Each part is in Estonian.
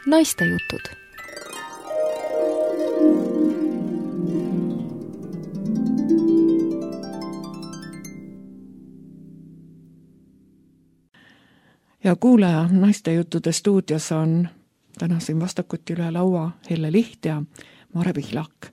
Naistejutud. Ja kuulaja, Naistejuttude stuudios on täna siin vastakuti üle laua Helle Liht ja Mare Pihlak.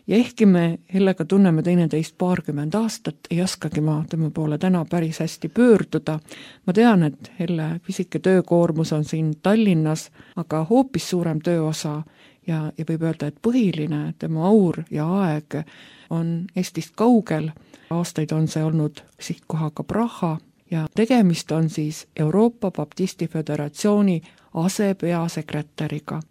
Ja ehkki me Hellega tunneme teineteist 20 aastat, ei oskagi ma tema poole täna päris hästi pöörduda. Ma tean, et Helle pisike töökoormus on siin Tallinnas, aga hoopis suurem tööosa ja võib öelda, et põhiline tema aur ja aeg on Eestist kaugel. Aastaid on see olnud sihtkohaga Praha ja tegemist on siis Euroopa Baptisti Föderatsiooni asepeasekretäriga.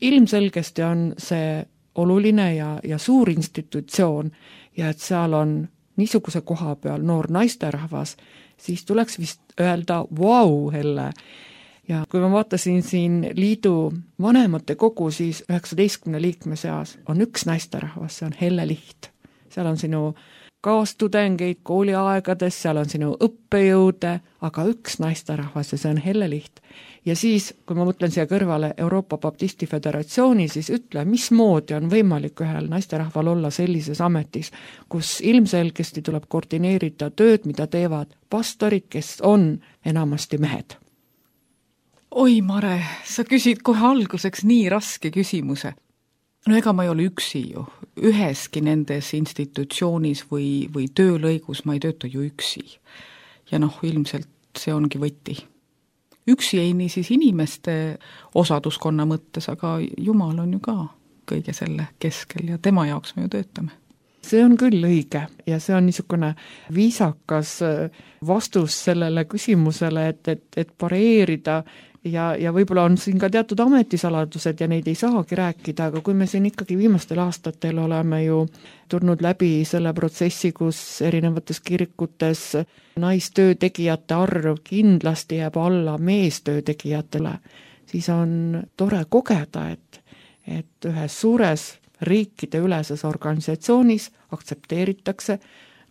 Ilmselgesti on see oluline ja suur institutsioon ja et seal on niisuguse koha peal noor naisterahvas, siis tuleks vist öelda vau, Helle. Ja kui ma vaatasin siin liidu vanemate kogu, siis 19 liikme seas on üks naisterahvas, see on Helle Liht. Seal on sinu kaastudengeid kooliaegades, seal on sinu õppejõude, aga üks naisterahvas ja see on Helle Liht. Ja siis, kui ma mõtlen siia kõrvale Euroopa Baptisti Föderatsiooni, siis ütle, mismoodi on võimalik ühel naisterahval olla sellises ametis, kus ilmselgesti tuleb koordineerida tööd, mida teevad pastorid, kes on enamasti mehed. Oi, Mare, sa küsid kohe alguseks nii raske küsimuse. Ega ma ei ole üksi ju. Üheski nendes institutsioonis või töölõigus ma ei tööta ju üksi. Ja ilmselt see ongi võti. Üksi ei nii siis inimeste osaduskonna mõttes, aga Jumal on ju ka kõige selle keskel ja tema jaoks me ju töötame. See on küll õige ja see on niisugune viisakas vastus sellele küsimusele, et pareerida ja võib-olla on siin ka teatud ametisaladused ja neid ei saagi rääkida, aga kui me siin ikkagi viimastel aastatel oleme ju tulnud läbi selle protsessi, kus erinevates kirikutes naistöötegijate arv kindlasti jääb alla meestöötegijatele, siis on tore kogeda, et ühes suures riikide üleses organisatsioonis aktsepteeritakse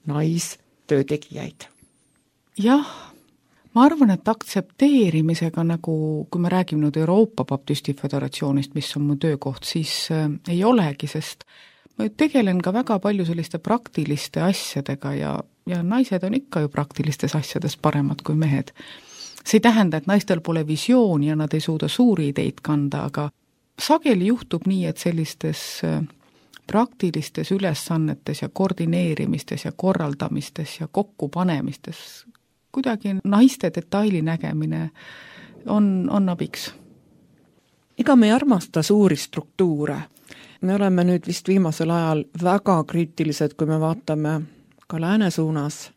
naistöötegijaid. Jah, ma arvan, et aktsepteerimisega kui me räägime nüüd Euroopa Baptisti Föderatsioonist, mis on mu töökoht, siis ei olegi, sest ma tegelen ka väga palju selliste praktiliste asjadega ja naised on ikka ju praktilistes asjades paremad kui mehed. See ei tähenda, et naistel pole visiooni ja nad ei suuda suuri ideid kanda, aga sageli juhtub nii, et sellistes praktilistes ülesannetes ja koordineerimistes ja korraldamistes ja kokkupanemistes kuidagi naiste detaili nägemine on abiks. Ega me ei armasta suuri struktuure. Me oleme nüüd vist viimasel ajal väga kriitilised, kui me vaatame ka lääne suunas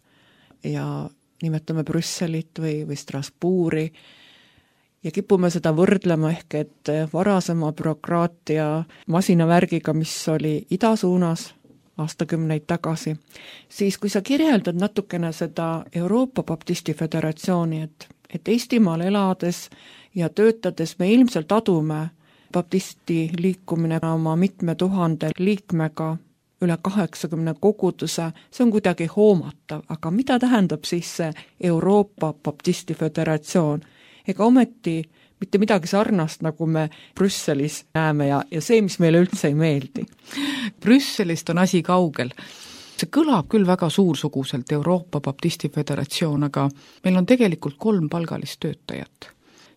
ja nimetame Brüsselit või Strasbourgi ja kipume seda võrdlema ehk et varasema bürokraatia masinavärgiga, mis oli ida suunas aastakümneid tagasi, siis kui sa kirjeldad natukene seda Euroopa Baptisti Föderatsiooni, et Eestimaal elades ja töötades me ilmselt adume baptisti liikumine oma mitme tuhande liikmega üle 80 koguduse, see on kuidagi hoomatav, aga mida tähendab siis see Euroopa Baptisti Föderatsioon? Ega ometi mitte midagi sarnast, nagu me Brüsselis näeme ja see, mis meile üldse ei meeldi. Brüsselist on asi kaugel. See kõlab küll väga suursuguselt Euroopa Baptisti Föderatsioon, aga meil on tegelikult 3 palgalist töötajat.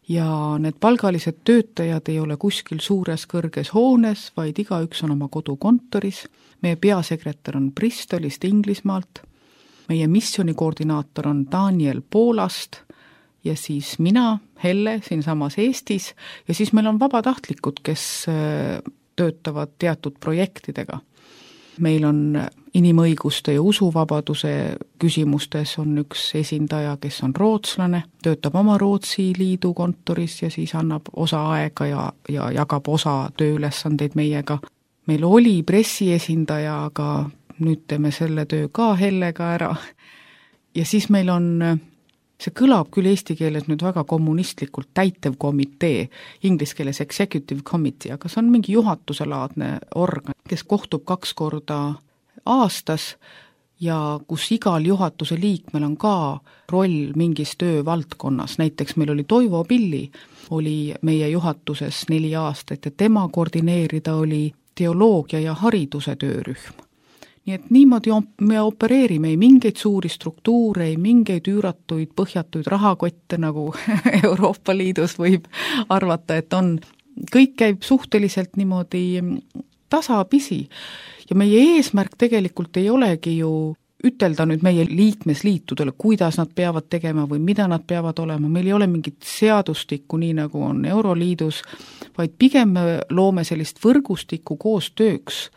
Ja need palgalised töötajad ei ole kuskil suures kõrges hoones, vaid igaüks on oma kodukontoris. Meie peasekretär on Bristolist, Inglismaalt. Meie missionikoordinaator on Daniel Poolast ja siis mina, Helle, siinsamas Eestis ja siis meil on vabatahtlikud, kes töötavad teatud projektidega. Meil on inimõiguste ja usuvabaduse küsimustes on üks esindaja, kes on rootslane, töötab oma Rootsi liidu kontoris ja siis annab osa aega ja jagab osa tööülesandeid meiega. Meil oli pressiesindaja, aga nüüd teeme selle töö ka Hellega ära. Ja siis meil on, see kõlab küll eesti keeles nüüd väga kommunistlikult, täitevkomitee, inglise keeles executive committee, aga see on mingi juhatuselaadne organ, kes kohtub 2 korda aastas ja kus igal juhatuse liikmel on ka roll mingis töövaldkonnas, näiteks meil oli Toivo Pilli, oli meie juhatuses 4 aastat ja tema koordineerida oli teoloogia ja hariduse töörühm. Nii et niimoodi me opereerime, ei mingeid suuri struktuure, ei mingeid üüratuid, põhjatuid rahakotte, nagu Euroopa Liidus võib arvata, et on. Kõik käib suhteliselt niimoodi tasapisi ja meie eesmärk tegelikult ei olegi ju ütelda nüüd meie liikmesliitudele, kuidas nad peavad tegema või mida nad peavad olema, meil ei ole mingit seadustikku, nii nagu on Euroliidus, vaid pigem me loome sellist võrgustikku koostööks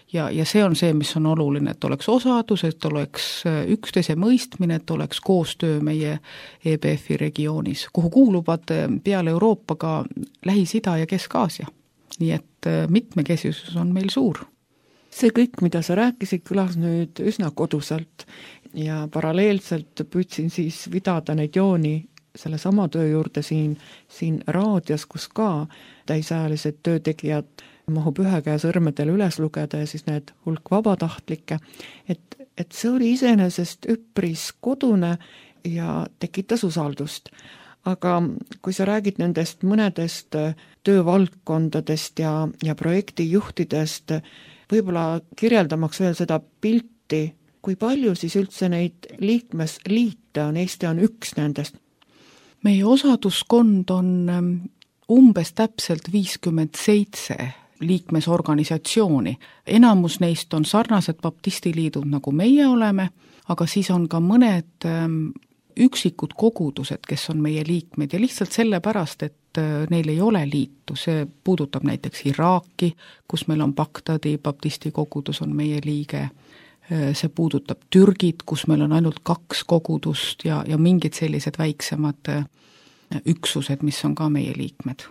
ja see on see, mis on oluline, et oleks osadus, et oleks üksteise mõistmine, et oleks koostöö meie EBF-i regioonis, kuhu kuuluvad peale Euroopa ka Lähis-Ida ja Kesk-Aasia. Nii et mitmekesisus on meil suur. See kõik, mida sa rääkisid, kõlas nüüd üsna koduselt ja paralleelselt püüdsin siis vidada neid jooni selle sama töö juurde siin raadios, kus ka täisajalised töötegijad mahub ühe käe sõrmedele üles lugeda ja siis need hulk vabatahtlikke, et see oli iseenesest üpris kodune ja tekitas usaldust. Aga kui sa räägid nendest mõnedest töövaldkondadest ja projektijuhtidest, võib-olla kirjeldamaks veel seda pilti, kui palju siis üldse neid liikmesliite on, Eesti on üks nendest? Meie osaduskond on umbes täpselt 57 liikmesorganisatsiooni. Enamus neist on sarnased baptistiliidud, nagu meie oleme, aga siis on ka mõned üksikud kogudused, kes on meie liikmed ja lihtsalt sellepärast, et neil ei ole liitu. See puudutab näiteks Iraaki, kus meil on Bagdadi baptisti kogudus on meie liige. See puudutab Türgit, kus meil on ainult 2 kogudust ja mingid sellised väiksemad üksused, mis on ka meie liikmed.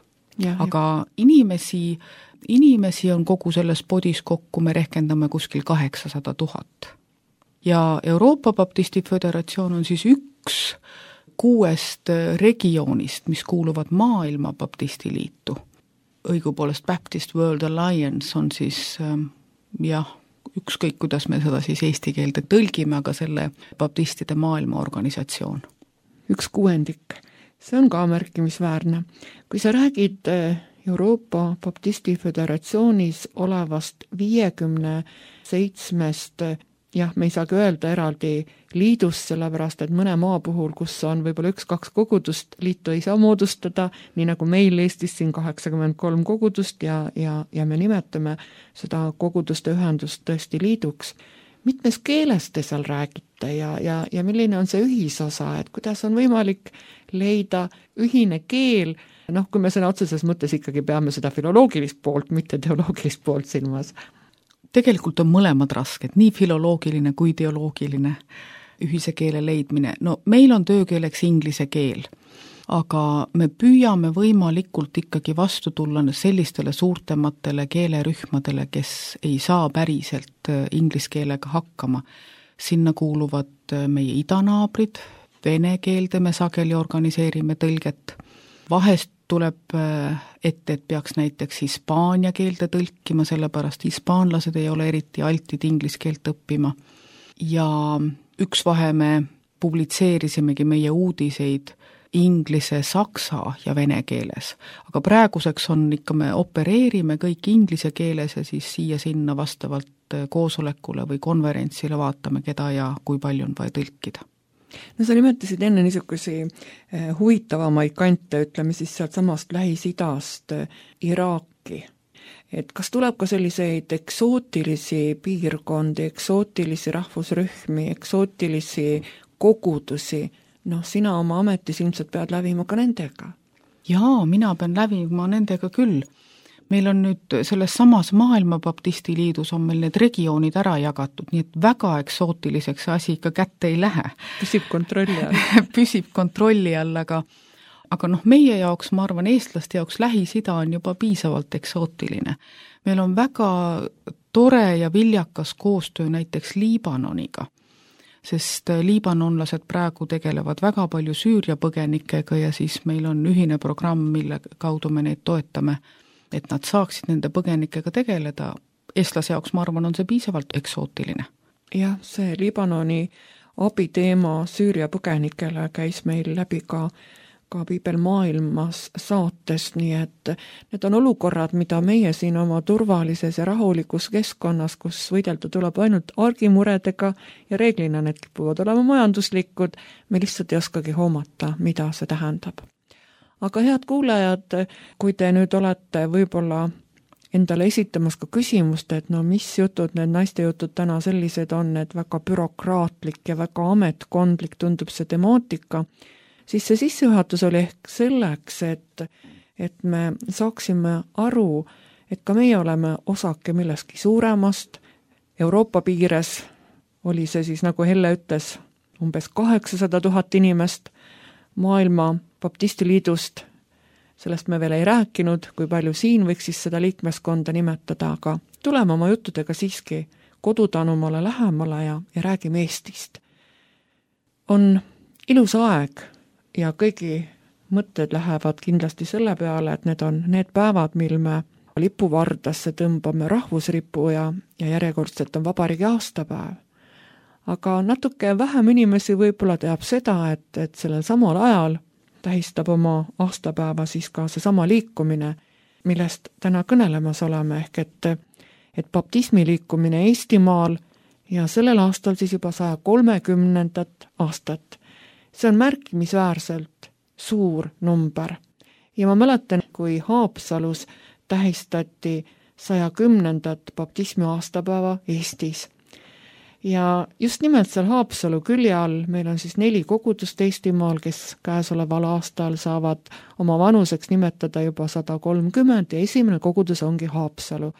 Aga inimesi on kogu selles podis kokku, me rehkendame kuskil 800 000. Ja Euroopa Baptisti Föderatsioon on siis üks 6 regioonist, mis kuuluvad maailma baptistiliitu. Õigupoolest Baptist World Alliance on siis, ükskõik kuidas me seda siis eesti keelde tõlgime, aga selle baptistide maailma organisatsioon. 1/6. See on ka märkimisväärne. Kui sa räägid Euroopa Baptisti Föderatsioonis olevast 57, me ei saagi öelda eraldi liidust, sellepärast et mõne maa puhul, kus on võib-olla 1-2 kogudust, liitu ei saa moodustada, nii nagu meil Eestis siin 83 kogudust ja me nimetame seda koguduste ühendust tõesti liiduks. Mitmes keeles te seal räägite ja milline on see ühisosa, et kuidas on võimalik leida ühine keel, kui me sõna otseses mõttes ikkagi peame seda filoloogilist poolt, mitte teoloogilist poolt silmas. Tegelikult on mõlemad rasked, nii filoloogiline kui teoloogiline ühise keele leidmine. No meil on töökeeleks inglise keel, aga me püüame võimalikult ikkagi vastu tulla sellistele suurtematele keelerühmadele, kes ei saa päriselt inglise keelega hakkama. Sinna kuuluvad meie idanaabrid, vene keelde me sageli organiseerime tõlget. Vahest tuleb ette, et peaks näiteks hispaania keelde tõlkima, sellepärast hispaanlased ei ole eriti altid inglise keelt õppima. Ja üks vahe me publitseerisimegi meie uudiseid inglise, saksa ja vene keeles. Aga praeguseks on ikka, me opereerime kõik inglise keeles ja siis siia-sinna vastavalt koosolekule või konverentsile vaatame, keda ja kui palju on vaja tõlkida. No sa nimetasid enne niisugusi huvitavamaid kante, ütleme siis sealt samast Lähis-Idast Iraaki. Et kas tuleb ka selliseid eksootilisi piirkondi, eksootilisi rahvusrühmi, eksootilisi kogudusi? Sina oma ametis ilmselt pead lävima ka nendega. Jaa, mina pean lävima nendega küll. Meil on nüüd selles samas maailma baptistiliidus on meil need regioonid ära jagatud, nii et väga eksootiliseks asi ikka kätte ei lähe. Püsib kontrolli all. Püsib kontrolli all, aga meie jaoks, ma arvan, eestlaste jaoks Lähis-Ida on juba piisavalt eksootiline. Meil on väga tore ja viljakas koostöö näiteks Liibanoniga, sest liibanonlased praegu tegelevad väga palju Süüria põgenikega ja siis meil on ühine programm, mille kaudu me neid toetame, et nad saaksid nende põgenikega tegeleda. Eestlase jaoks, ma arvan, on see piisavalt eksootiline. jah, see Liibanoni abiteema Süüria põgenikele käis meil läbi ka Piibel maailmas saatest, nii et need on olukorrad, mida meie siin oma turvalises ja rahulikus keskkonnas, kus võidelda tuleb ainult argimuredega ja reeglina need kipuvad olema majanduslikud, me lihtsalt ei oskagi hoomata, mida see tähendab. Aga head kuulajad, kui te nüüd olete võib-olla endale esitamas ka küsimust, et no mis jutud, need naiste jutud täna sellised on, et väga bürokraatlik ja väga ametkondlik tundub see temaatika, siis see sissejuhatus oli ehk selleks, et me saaksime aru, et ka meie oleme osake millestki suuremast. Euroopa piires oli see siis, nagu Helle ütles, umbes 800 000 inimest, maailma baptistiliidust, sellest me veel ei rääkinud, kui palju siin võiks siis seda liikmeskonda nimetada, aga tuleme oma juttudega siiski kodutanumale lähemale ja räägime Eestist. On ilus aeg ja kõigi mõtted lähevad kindlasti selle peale, et need on need päevad, mil me lipuvardasse tõmbame rahvusripu ja järjekordselt on vabariigi aastapäev. Aga natuke vähem inimesi võib-olla teab seda, et sellel samal ajal tähistab oma aastapäeva siis ka seesama liikumine, millest täna kõnelemas oleme, ehk et baptismi liikumine Eestimaal ja sellel aastal siis juba 130. aastat. See on märkimisväärselt suur number. Ja ma mäletan, kui Haapsalus tähistati 110. baptismi aastapäeva Eestis. Ja just nimelt seal Haapsalu külje all meil on siis 4 kogudust Eestimaal, kes käesoleval aastal saavad oma vanuseks nimetada juba 130 ja esimene kogudus ongi Haapsalu,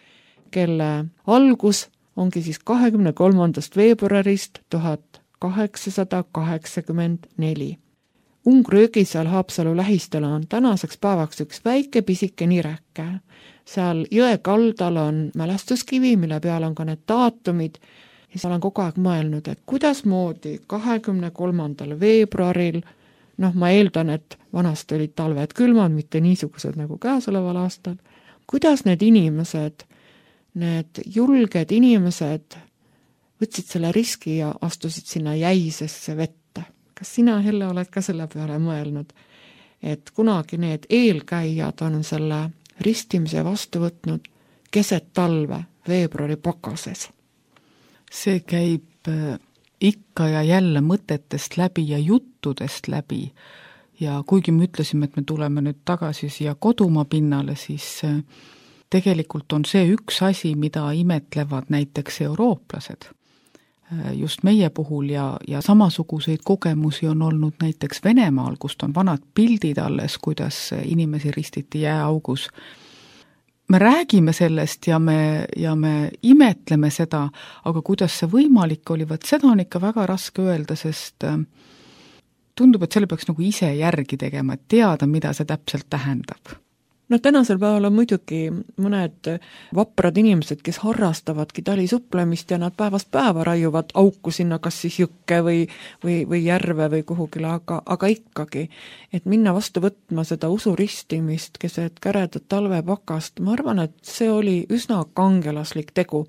kelle algus ongi siis 23. veebruarist 1884. Ungri-Jõgisaal Haapsalu lähistel on tänaseks päevaks üks väike pisike nirekke. Seal jõe kaldal on mälestuskivi, mille peal on ka need daatumid. Ja olen kogu aeg mõelnud, et kuidas moodi 23. veebruaril, ma eeldan, et vanasti olid talved külmad, mitte niisugused nagu käesoleval aastal, kuidas need inimesed, need julged inimesed võtsid selle riski ja astusid sinna jäisesse vette. Kas sina, Helle, oled ka selle peale mõelnud, et kunagi need eelkäijad on selle ristimise vastu võtnud keset talve veebruari pakases? See käib ikka ja jälle mõtetest läbi ja juttudest läbi. Ja kuigi me ütlesime, et me tuleme nüüd tagasi siia kodumaa pinnale, siis tegelikult on see üks asi, mida imetlevad näiteks eurooplased. Just meie puhul ja samasuguseid kogemusi on olnud näiteks Venemaal, kust on vanad pildid alles, kuidas inimesi ristiti jääaugus. Me räägime sellest ja me imetleme seda, aga kuidas see võimalik oli, seda on ikka väga raske öelda, sest tundub, et selle peaks nagu ise järgi tegema, et teada, mida see täpselt tähendab. Tänasel päeval on muidugi mõned vaprad inimesed, kes harrastavadki talisupplemist ja nad päevast päeva raiuvad auku sinna kas siis jõkke või järve või kuhugile, aga ikkagi, et minna vastu võtma seda usuristimist keset käredat talvepakast, ma arvan, et see oli üsna kangelaslik tegu.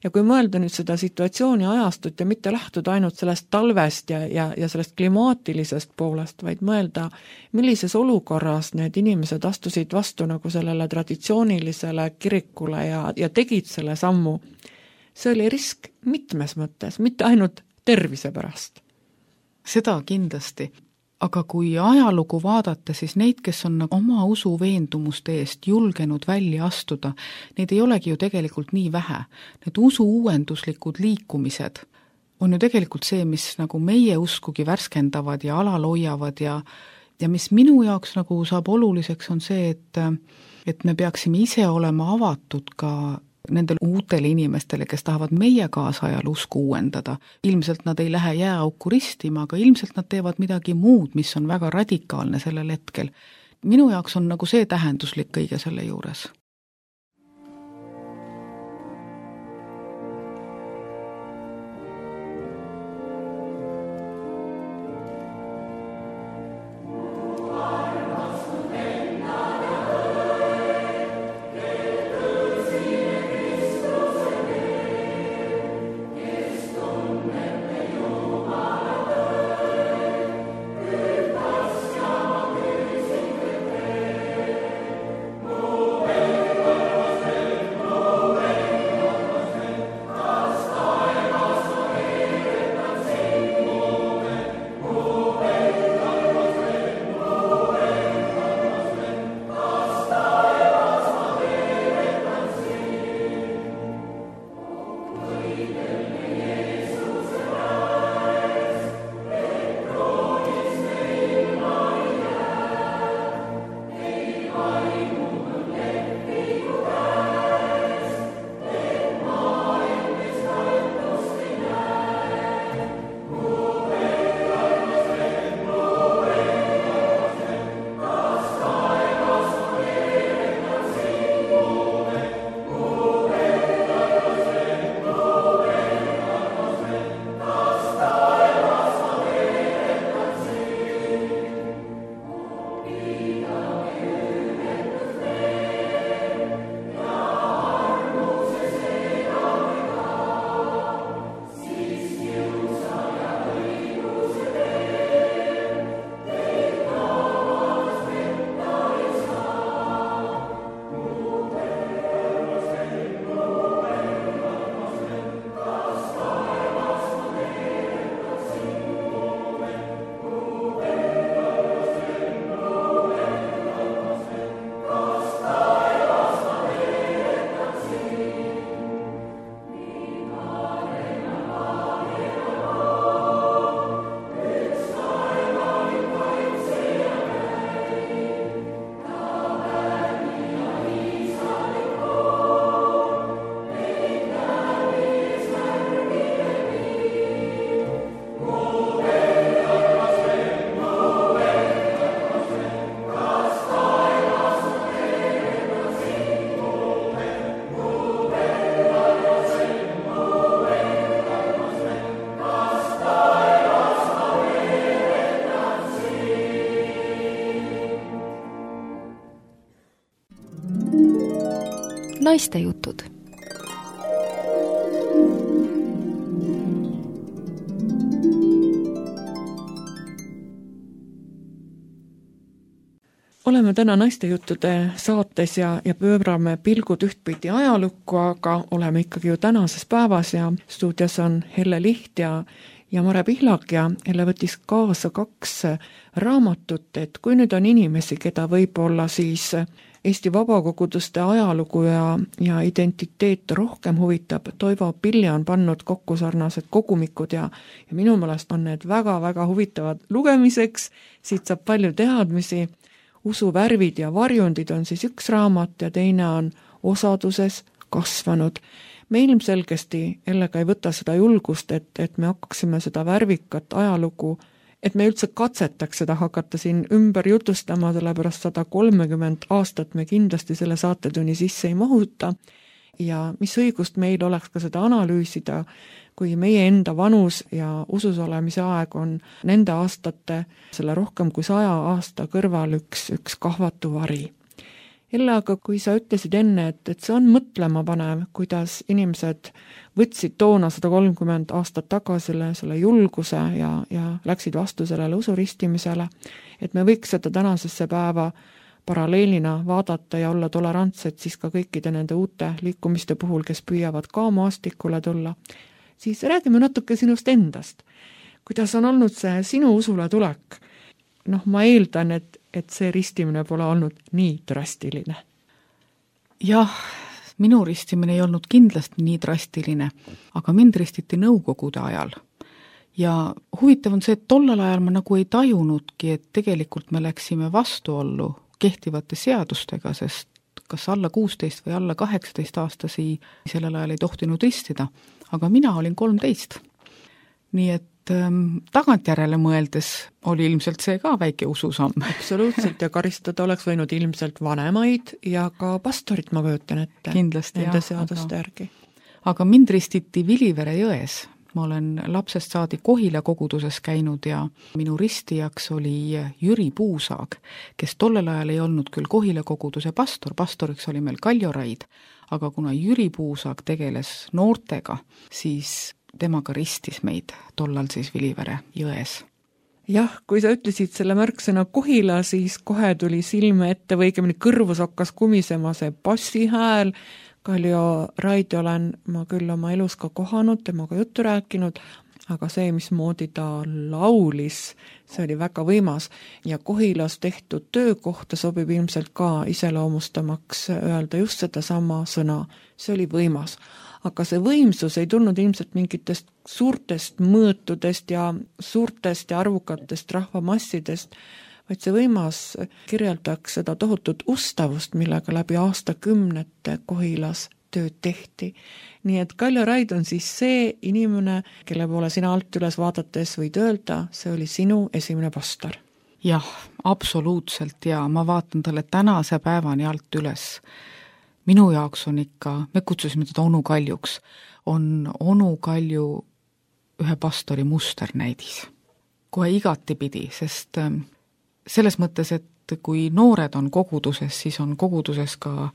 Ja kui mõelda nüüd seda situatsiooni ajastut ja mitte lähtuda ainult sellest talvest ja sellest klimaatilisest poolest, vaid mõelda, millises olukorras need inimesed astusid vastu nagu sellele traditsioonilisele kirikule ja tegid selle sammu, see oli risk mitmes mõttes, mitte ainult tervise pärast. Seda kindlasti. Aga kui ajalugu vaadata, siis neid, kes on oma usuveendumuste eest julgenud välja astuda, neid ei olegi ju tegelikult nii vähe. Need usuuenduslikud liikumised on ju tegelikult see, mis nagu meie uskugi värskendavad ja alal hoiavad ja mis minu jaoks nagu saab oluliseks on see, et me peaksime ise olema avatud ka nendele uutele inimestele, kes tahavad meie kaasajal usku uuendada. Ilmselt nad ei lähe jääauku ristima, aga ilmselt nad teevad midagi muud, mis on väga radikaalne sellel hetkel. Minu jaoks on nagu see tähenduslik kõige selle juures. Naistejutud. Oleme täna naistejuttude saates ja pöörame pilgud ühtpidi ajalukku, aga oleme ikkagi ju tänases päevas ja stuudios on Helle Liht ja Mare Pihlak ja Helle võttis kaasa 2 raamatut, et kui nüüd on inimesi, keda võib-olla siis Eesti vabakoguduste ajalugu ja identiteet rohkem huvitab, Toivo Pilja on pannud kokku sarnased kogumikud ja minu meelest on need väga-väga huvitavad lugemiseks, siit saab palju teadmisi. Usuvärvid ja varjundid on siis üks raamat ja teine on Osaduses kasvanud. Me ilmselgesti Hellega ei võta seda julgust, et me hakkaksime seda värvikat ajalugu, et me üldse katsetaks seda hakata siin ümber jutustama, sellepärast 130 aastat me kindlasti selle saatetunni sisse ei mahuta ja mis õigust meil oleks ka seda analüüsida, kui meie enda vanus ja usus olemise aeg on nende aastate, selle rohkem kui 100 aasta kõrval üks kahvatu vari. Helle, aga kui sa ütlesid enne, et see on mõtlema panev, kuidas inimesed võtsid toona 130 aastat tagasi selle julguse ja läksid vastu sellele usuristimisele, et me võiks seda tänasesse päeva paralleelina vaadata ja olla tolerantsed siis ka kõikide nende uute liikumiste puhul, kes püüavad ka maastikule tulla, siis räägime natuke sinust endast. Kuidas on olnud see sinu usule tulek? Ma eeldan, et see ristimine pole olnud nii drastiline. Jah, minu ristimine ei olnud kindlasti nii drastiline, aga mind ristiti Nõukogude ajal. Ja huvitav on see, et tollal ajal ma nagu ei tajunudki, et tegelikult me läksime vastuollu kehtivate seadustega, sest kas alla 16 või alla 18 aastasi sellel ajal ei tohtinud ristida, aga mina olin 13. Nii et tagantjärele mõeldes oli ilmselt see ka väike ususamm. Absoluutselt, ja karistada oleks võinud ilmselt vanemaid ja ka pastorit, ma kujutan ette. Kindlasti, nende seaduste järgi. Aga mind ristiti Vilivere jões. Ma olen lapsest saadi Kohila koguduses käinud ja minu ristijaks oli Jüri Puusaag, kes tollel ajal ei olnud küll Kohila koguduse pastoriks oli meil Kaljo Raid, aga kuna Jüri Puusaag tegeles noortega, siis temaga ristis meid tollal siis Vilivere jões. Jah, kui sa ütlesid selle märksõna Kohila, siis kohe tuli silme ette või õigemini kõrvus hakkas kumisema see bassihääl. Kaljo Raidi olen ma küll oma elus ka kohanud, temaga juttu rääkinud, aga see, mismoodi ta laulis, see oli väga võimas ja Kohilas tehtud töökohta sobib ilmselt ka iseloomustamaks öelda just seda sama sõna. See oli võimas. Aga see võimsus ei tulnud ilmselt mingitest suurtest mõõtudest ja suurtest ja arvukatest rahvamassidest, vaid see võimas kirjeldaks seda tohutut ustavust, millega läbi aastakümnete Kohilas tööd tehti. Nii et Kaljo Raid on siis see inimene, kelle poole sina alt üles vaadates võid öelda, see oli sinu esimene pastor. Jah, absoluutselt ja ma vaatan talle tänase päevani alt üles. Minu jaoks on ikka, me kutsusime teda Onu Kaljuks, on Onu Kalju ühe pastori musternäidis. Kohe igatipidi, sest selles mõttes, et kui noored on koguduses, siis on koguduses ka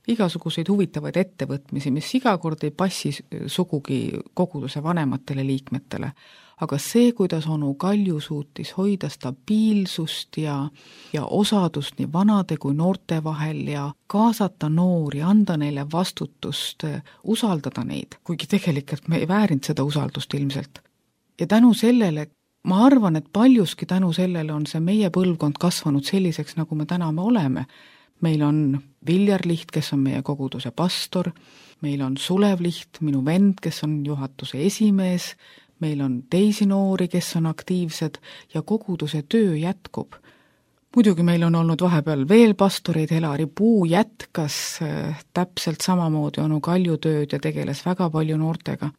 igasuguseid huvitavaid ettevõtmisi, mis iga kord ei passi sugugi koguduse vanematele liikmetele. Aga see, kuidas Onu Kalju suutis hoida stabiilsust ja osadust nii vanade kui noorte vahel ja kaasata noori, anda neile vastutust, usaldada neid, kuigi tegelikult me ei väärinud seda usaldust ilmselt. Ja tänu sellele, ma arvan, et paljuski tänu sellele on see meie põlvkond kasvanud selliseks, nagu me täna me oleme. Meil on Viljar Liht, kes on meie koguduse pastor, meil on Sulev Liht, minu vend, kes on juhatuse esimees, meil on teisi noori, kes on aktiivsed ja koguduse töö jätkub. Muidugi meil on olnud vahepeal veel pastoreid, Helari Puu jätkas täpselt samamoodi Onu Kalju tööd ja tegeles väga palju noortega.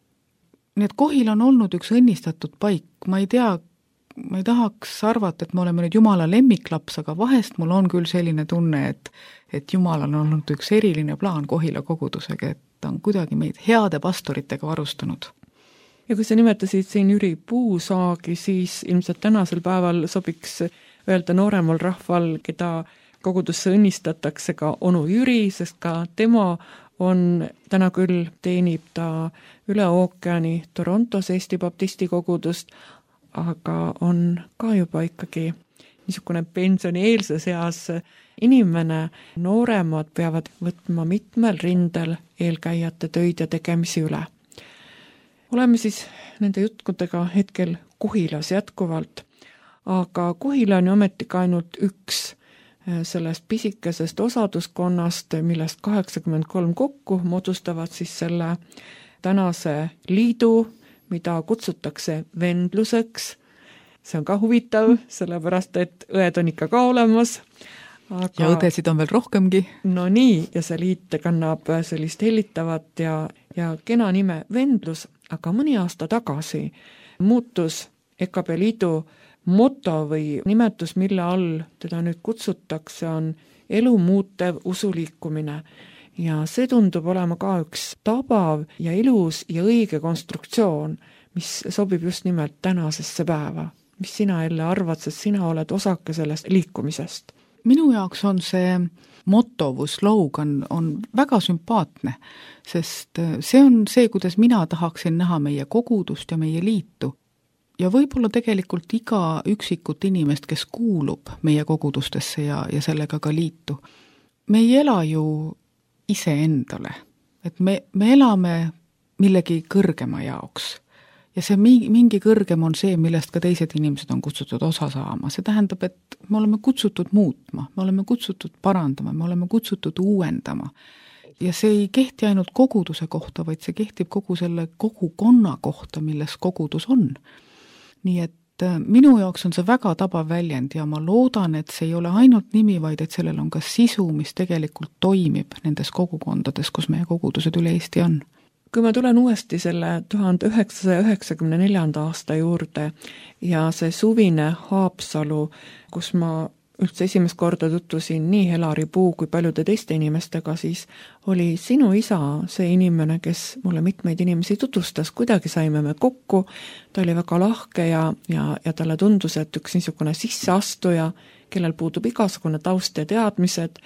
Nii et Kohil on olnud üks õnnistatud paik, ma ei tahaks arvata, et me oleme nüüd Jumala lemmiklaps, aga vahest mul on küll selline tunne, et Jumal on olnud üks eriline plaan Kohila kogudusega, et ta on kuidagi meid heade pastoritega varustanud. Ja kui sa nimetasid siin Jüri Puusaagi, siis ilmselt tänasel päeval sobiks öelda nooremal rahval, keda kogudusse õnnistatakse ka Onu Jüri, sest ka tema on, täna küll teenib ta üle ookeani Torontos Eesti baptisti kogudust, aga on ka juba ikkagi niisugune pensionieelses eas inimene. Nooremad peavad võtma mitmel rindel eelkäijate töid ja tegemisi üle. Oleme siis nende jutkudega hetkel Kuhilas jätkuvalt, aga Kuhila on ju ometigi ainult üks sellest pisikesest osaduskonnast, millest 83 kokku moodustavad siis selle tänase liidu, mida kutsutakse vendluseks. See on ka huvitav, sellepärast et õed on ikka ka olemas. Aga, ja õdesid on veel rohkemgi. No nii, ja see liit kannab sellist hellitavat ja kena nime vendlus, aga mõni aasta tagasi muutus EKB liidu moto või nimetus, mille all teda nüüd kutsutakse, on elu muutev usuliikumine. Ja see tundub olema ka üks tabav ja ilus ja õige konstruktsioon, mis sobib just nimelt tänasesse päeva. Mis sina jälle arvad, sest sina oled osake sellest liikumisest? Minu jaoks on see moto või slogan on väga sümpaatne, sest see on see, kuidas mina tahaksin näha meie kogudust ja meie liitu. Ja võib-olla tegelikult iga üksikut inimest, kes kuulub meie kogudustesse ja sellega ka liitu. Me ei ela ju iseendale, et me elame millegi kõrgema jaoks. Ja see mingi kõrgem on see, millest ka teised inimesed on kutsutud osa saama. See tähendab, et me oleme kutsutud muutma, me oleme kutsutud parandama, me oleme kutsutud uuendama. Ja see ei kehti ainult koguduse kohta, vaid see kehtib kogu selle kogukonna kohta, milles kogudus on. Nii et minu jaoks on see väga tabav väljend ja ma loodan, et see ei ole ainult nimi, vaid et sellel on ka sisu, mis tegelikult toimib nendes kogukondades, kus meie kogudused üle Eesti on. Kui ma tulen uuesti selle 1994. aasta juurde ja see suvine Haapsalu, kus ma üldse esimest korda tutvusin nii Helari Puu kui paljude teiste inimestega, siis oli sinu isa see inimene, kes mulle mitmeid inimesi tutvustas, kuidagi saime me kokku, ta oli väga lahke ja talle tundus, et üks niisugune sisseastuja, kellel puudub igasugune taust ja teadmised,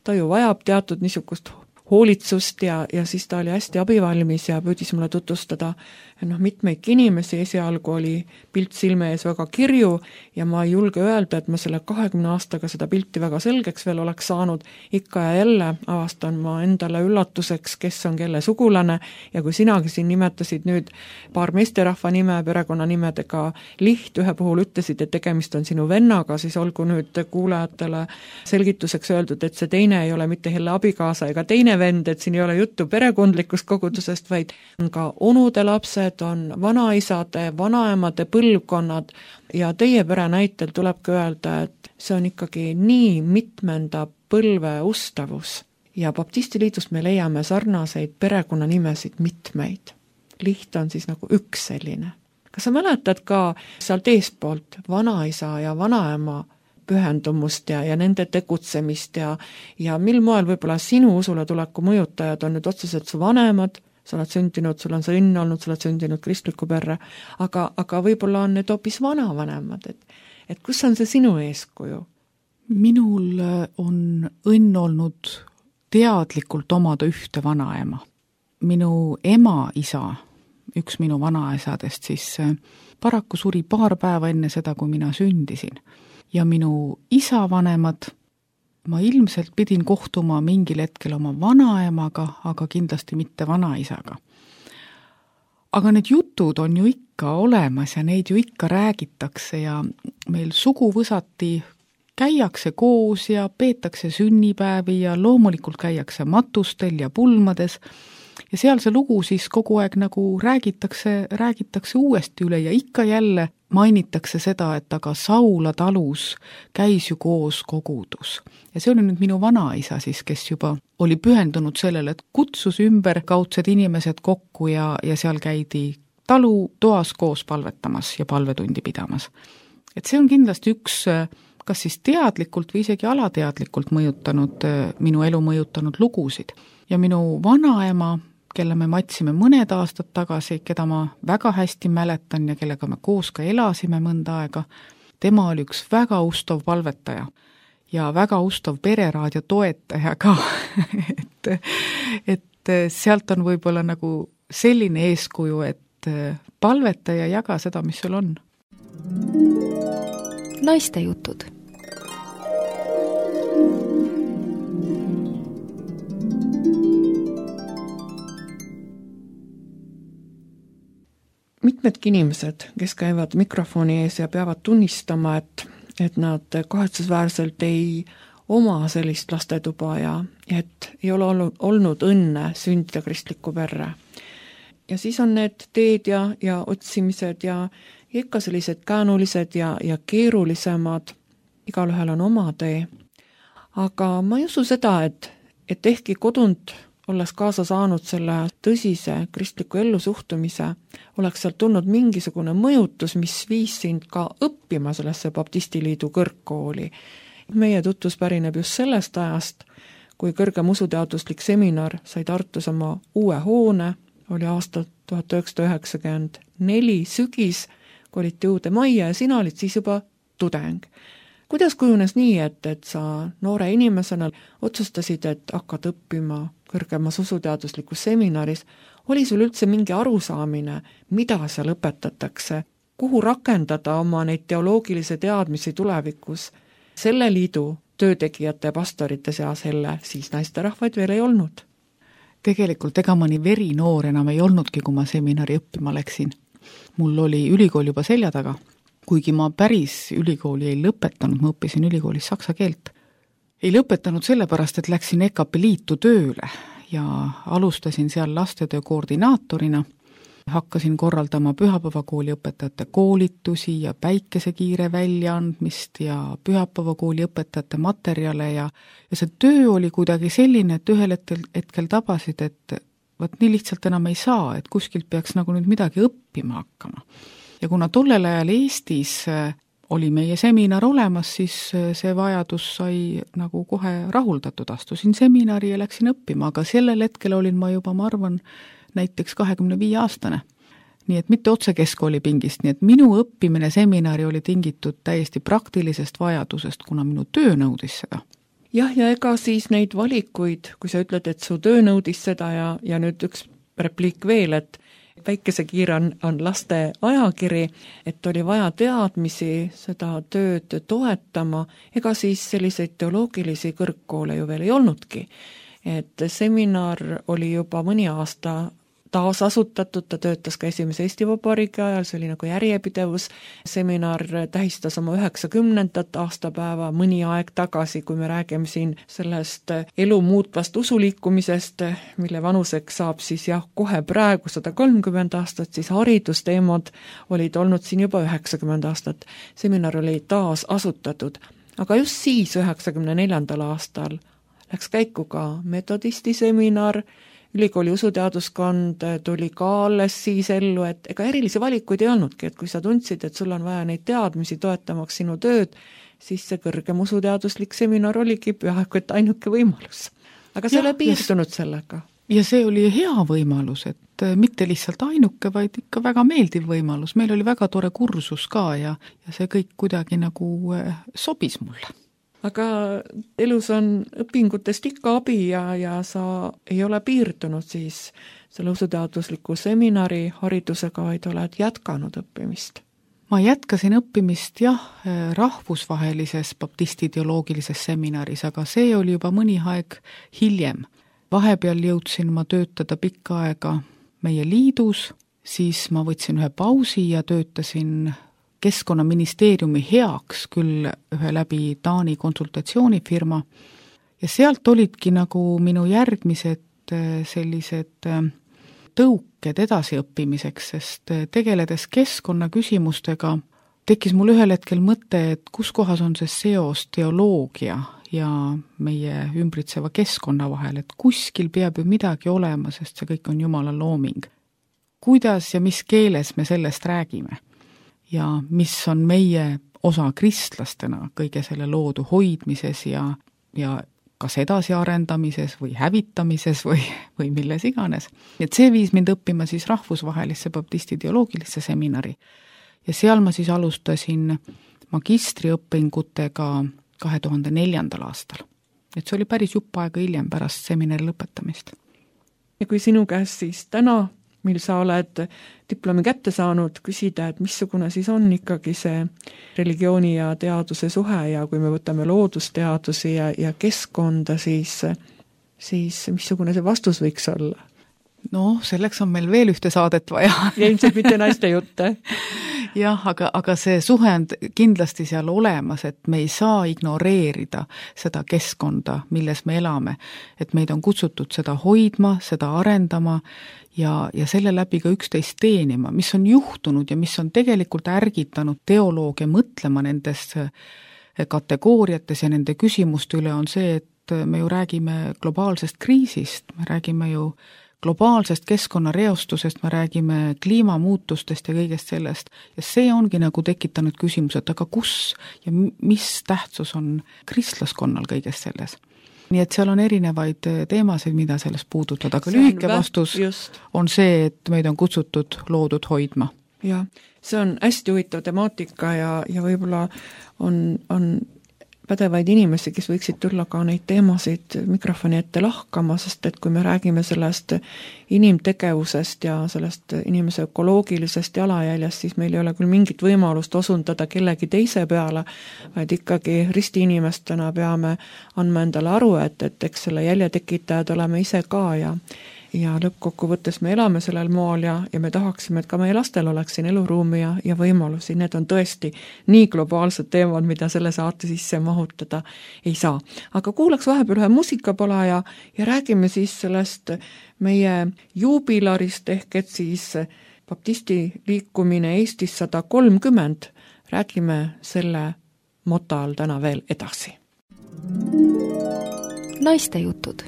ta ju vajab teatud niisugust hoolitsust ja siis ta oli hästi abivalmis ja püüdis mulle tutvustada mitmeidki inimesi. Esialgu oli pilt silme ees väga kirju ja ma ei julge öelda, et ma selle 20 aastaga seda pilti väga selgeks veel oleks saanud. Ikka ja jälle avastan ma endale üllatuseks, kes on kelle sugulane ja kui sinagi siin nimetasid nüüd paar meesterahva nime, perekonnanimedega Liht, ühe puhul ütlesid, et tegemist on sinu vennaga, siis olgu nüüd kuulajatele selgituseks öeldud, et see teine ei ole mitte Helle abikaasa ega teine vend, et siin ei ole juttu perekondlikust kogudusest, vaid on ka onude lapsed, on vanaisade, vanaemade põlvkonnad ja teie pere näitel tulebki öelda, et see on ikkagi nii mitmenda põlve ustavus. Ja baptistiliidust me leiame sarnaseid perekonnanimesid mitmeid. Liht on siis nagu üks selline. Kas sa mäletad ka sealt eespoolt vanaisa ja vanaema pühendumust ja nende tegutsemist ja mil moel võib-olla sinu usule tuleku mõjutajad on nüüd otseselt su vanemad, sa oled sündinud, sul on see õnn olnud, sa oled sündinud kristliku perre, aga võib-olla on need hoopis vanavanemad, et kus on see sinu eeskuju? Minul on õnn olnud teadlikult omada ühte vanaema. Minu ema isa, üks minu vanaisadest, siis paraku suri paar päeva enne seda, kui mina sündisin. Ja minu isa vanemad, ma ilmselt pidin kohtuma mingil hetkel oma vanaemaga, aga kindlasti mitte vanaisaga. Aga need jutud on ju ikka olemas ja neid ju ikka räägitakse ja meil suguvõsati käiakse koos ja peetakse sünnipäevi ja loomulikult käiakse matustel ja pulmades ja seal see lugu siis kogu aeg nagu räägitakse uuesti üle ja ikka jälle mainitakse seda, et aga Saula talus käis ju koos kogudus. Ja see oli nüüd minu vanaisa siis, kes juba oli pühendunud sellele, et kutsus ümber kaudsed inimesed kokku ja seal käidi talu toas koos palvetamas ja palvetundi pidamas. Et see on kindlasti üks, kas siis teadlikult või isegi alateadlikult minu elu mõjutanud lugusid. Ja minu vanaema, kelle me matsime mõned aastad tagasi, keda ma väga hästi mäletan ja kellega me koos ka elasime mõnda aega, tema oli üks väga ustav palvetaja ja väga ustav pereraadio toetaja ka. et et sealt on võib-olla nagu selline eeskuju, et palveta ja jaga seda, mis sul on. Naiste jutud. Mitmedki inimesed, kes käivad mikrofoni ees ja peavad tunnistama, et nad kahetsusväärselt ei oma sellist lastetuba ja et ei ole olnud õnne sündida kristlikku perre. Ja siis on need teed ja otsimised ja ikka sellised käänulised ja keerulisemad, igalühel on oma tee. Aga ma ei usu seda, et ehkki kodunt olles kaasa saanud selle tõsise kristliku ellusuhtumise, oleks sealt tulnud mingisugune mõjutus, mis viis sind ka õppima sellesse Baptistiliidu kõrgkooli. Meie tutvus pärineb just sellest ajast, kui kõrgem usuteaduslik seminar sai Tartus oma uue hoone, oli aasta 1994 sügis, koliti uude majja ja sina olid siis juba tudeng. Kuidas kujunes nii, et sa noore inimesena otsustasid, et hakkad õppima kõrgemas usuteaduslikus seminaris, oli sul üldse mingi arusaamine, mida seal õpetatakse, kuhu rakendada oma neid teoloogilisi teadmisi tulevikus? Selle liidu töötegijate ja pastorite seas siis naisterahvaid veel ei olnud. Tegelikult ega ma nii verinoor enam ei olnudki, kui ma seminari õppima läksin. Mul oli ülikool juba selja taga, kuigi ma päris ülikooli ei lõpetanud, ma õppisin ülikoolis saksa keelt. Ei lõpetanud sellepärast, et läksin EKP liitu tööle ja alustasin seal lastetöö koordinaatorina. Hakkasin korraldama pühapäevakooli õpetajate koolitusi ja päikesekiire väljaandmist ja pühapäevakooli õpetajate materjale ja see töö oli kuidagi selline, et ühel hetkel tabasid, et võt nii lihtsalt enam ei saa, et kuskilt peaks nagu nüüd midagi õppima hakkama. Ja kuna tollel ajal Eestis oli meie seminar olemas, siis see vajadus sai nagu kohe rahuldatud. Astusin seminari ja läksin õppima, aga sellel hetkel olin ma juba, ma arvan, näiteks 25-aastane. Nii et mitte otse keskkooli pingist, nii et minu õppimine seminari oli tingitud täiesti praktilisest vajadusest, kuna minu töö nõudis seda. Jah, ja ega siis neid valikuid, kui sa ütled, et su töö nõudis seda ja nüüd üks repliik veel, et Päikesekiir on laste ajakiri, et oli vaja teadmisi seda tööd toetama, ega siis selliseid teoloogilisi kõrgkoole ju veel ei olnudki. Et seminar oli juba mõni aasta taasasutatud, ta töötas ka esimese Eesti Vabariigi ajal, see oli nagu järjepidevus. Seminar tähistas oma 90. aastapäeva mõni aeg tagasi, kui me räägime siin sellest elu muutvast usuliikumisest, mille vanuseks saab siis kohe praegu 130 aastat, siis haridusteemad olid olnud siin juba 90 aastat. Seminar oli taas asutatud, aga just siis 94. aastal läks käiku ka metodisti seminar, ülikooli usuteaduskond tuli ka alles siis ellu, et ega erilisi valikuid ei olnudki, et kui sa tundsid, et sul on vaja neid teadmisi toetamaks sinu tööd, siis see kõrgem usuteaduslik seminar oligi peaaegu et ainuke võimalus. Aga see ei ole piirdunud sellega. Ja see oli hea võimalus, et mitte lihtsalt ainuke, vaid ikka väga meeldiv võimalus. Meil oli väga tore kursus ka ja see kõik kuidagi nagu sobis mulle. Aga elus on õpingutest ikka abi ja sa ei ole piirdunud siis selle usuteadusliku seminari haridusega, vaid oled jätkanud õppimist. Ma jätkasin õppimist rahvusvahelises baptisti teoloogilises seminaris, aga see oli juba mõni aeg hiljem. Vahepeal jõudsin ma töötada pikka aega meie liidus, siis ma võtsin ühe pausi ja töötasin Keskkonnaministeeriumi heaks küll ühe läbi Taani konsultatsioonifirma ja sealt olidki nagu minu järgmised sellised tõuked edasiõppimiseks, sest tegeledes keskkonnaküsimustega tekkis mul ühel hetkel mõte, et kus kohas on see seos teoloogia ja meie ümbritseva keskkonna vahel, et kuskil peab ju midagi olema, sest see kõik on Jumala looming. Kuidas ja mis keeles me sellest räägime? Ja mis on meie osa kristlastena kõige selle loodu hoidmises ja kas edasi arendamises või hävitamises või milles iganes. Et see viis mind õppima siis rahvusvahelisse baptisti teoloogilisse seminari. Ja seal ma siis alustasin magistriõppingutega 2004. aastal. Et see oli päris jupp aega hiljem pärast seminari lõpetamist. ja kui sinu käest siis täna, mil sa oled diplomi kätte saanud, küsida, et missugune siis on ikkagi see religiooni ja teaduse suhe ja kui me võtame loodusteadusi ja keskkonda, siis missugune see vastus võiks olla? No, selleks on meil veel ühte saadet vaja. Ja ilmselt mitte naiste jutte. Jah, aga see suhe on kindlasti seal olemas, et me ei saa ignoreerida seda keskkonda, milles me elame. Et meid on kutsutud seda hoidma, seda arendama ja selle läbi ka üksteist teenima, mis on juhtunud ja mis on tegelikult ärgitanud teoloogia mõtlema nendes kategooriates ja nende küsimuste üle on see, et me ju räägime globaalsest kriisist, me räägime ju globaalsest keskkonnareostusest, me räägime kliimamuutustest ja kõigest sellest. Ja see ongi nagu tekitanud küsimused, aga kus ja mis tähtsus on kristlaskonnal kõigest selles? Nii et seal on erinevaid teemasid, mida sellest puudutada, aga lühike vastus on see, et meid on kutsutud loodud hoidma. Ja, see on hästi huvitav temaatika ja võib-olla on pädevaid inimesi, kes võiksid tulla ka neid teemasid mikrofoni ette lahkama, sest et kui me räägime sellest inimtegevusest ja sellest inimese ökoloogilisest jalajäljest, siis meil ei ole küll mingit võimalust osundada kellegi teise peale, vaid ikkagi ristiinimestena peame andma endale aru, et eks selle jäljetekitajad oleme ise ka ja lõppkokkuvõttes me elame sellel mool ja me tahaksime, et ka meie lastel oleks siin eluruumi ja võimalusi. Need on tõesti nii globaalsed teemad, mida selle saate sisse mahutada ei saa. Aga kuulaks vahepeal ühe muusikapala ja räägime siis sellest meie juubilarist ehk et siis baptisti liikumine Eestis 130. Räägime selle moto all täna veel edasi. Naiste jutud.